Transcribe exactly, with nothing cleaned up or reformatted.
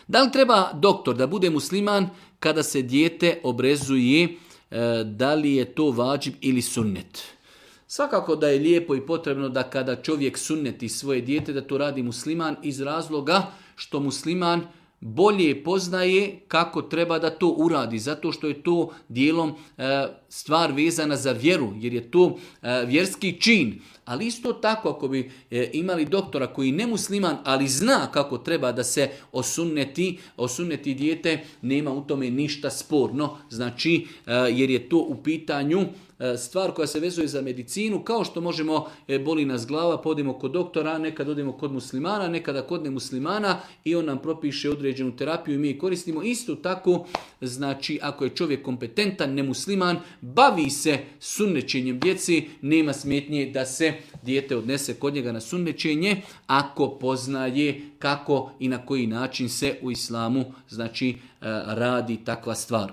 Da li treba doktor da bude musliman kada se dijete obrezuje, da li je to vađib ili sunnet? Svakako da je lijepo i potrebno da kada čovjek sunneti svoje dijete, da to radi musliman iz razloga što musliman bolje poznaje kako treba da to uradi, zato što je to dijelom e, stvar vezana za vjeru, jer je to e, vjerski čin. Ali isto tako, ako bi e, imali doktora koji ne musliman, ali zna kako treba da se osunneti, osunneti dijete, nema u tome ništa sporno, znači e, jer je to u pitanju stvar koja se vezuje za medicinu, kao što možemo, e, boli nas glava, podimo kod doktora, nekad odemo kod muslimana, nekada kod nemuslimana i on nam propiše određenu terapiju i mi je koristimo. Isto tako, znači ako je čovjek kompetentan, nemusliman, bavi se sunnećenjem djeci, nema smetnje da se dijete odnese kod njega na sunnećenje, ako poznaje kako i na koji način se u islamu, znači, radi takva stvar.